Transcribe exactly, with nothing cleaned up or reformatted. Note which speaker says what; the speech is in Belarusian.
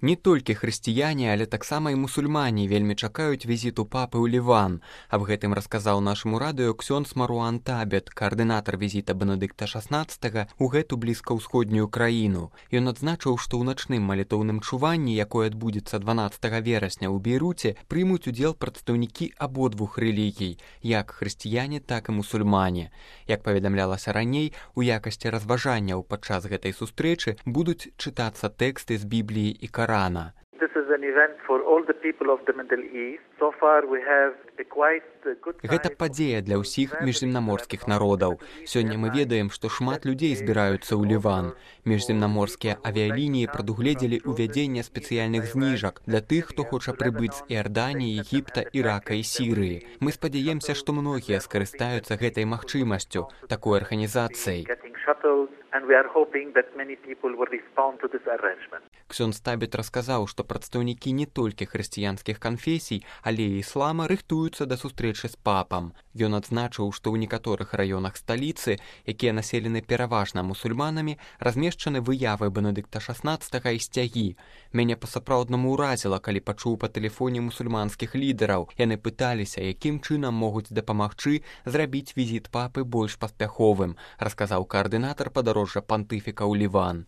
Speaker 1: Не толькі хрысціяне, але таксама і мусульмане вельмі чакаюць візіту папы ў Ліван. Аб гэтым расказаў нашаму радыё ксёндз Маруан Табет, каардынатар візіта Бенедыкта шаснаццатага ў гэту блізкаўсходнюю краіну. Ён адзначыў, што ў начным малітоўным чуванні, якое адбудзецца дванаццатага верасня ў Бейруце, прымуць удзел прадстаўнікі абодвух рэлігій, як хрысціяне, так і мусульмане. Як паведамлялася раней, у якасці разважанняў падчас гэтай сустрэчы будуць чытацца тэксты з Бібліі і Карана. Гэта падзея для ўсіх міжземнаморскіх народаў. Сёння мы ведаем, што шмат людзей збіраюцца ў Ліван. Міжземнаморскія авіялініі прадугледзелі ўвядзенне спецыяльных зніжак для тых, хто хоча прыбыць з Іорданіі, Егіпта, Ірака і Сірыі. Мы спадзяемся, што многія скарыстаюцца гэтай магчымасцю, такой арганізацыяй. Ксёндз Табет расказаў, што прадстаўнікі не толькі хрысціянскіх канфесій, але і іслама рыхтуюцца да сустрэчы з папам. Ён адзначыў, што ў некаторых раёнах сталіцы, якія населены пераважна мусульманамі, размешчаны выявы Бенедыкта шаснаццатага і сцягі. Мяне па-сапраўднаму ўразіла, калі пачуў па тэлефоне мусульманскіх лідараў. Яны пыталіся, якім чынам могуць дапамагчы зрабіць візіт папы больш паспяховым, расказаў каардынатар падарожжа пантыфіка ў Ліван.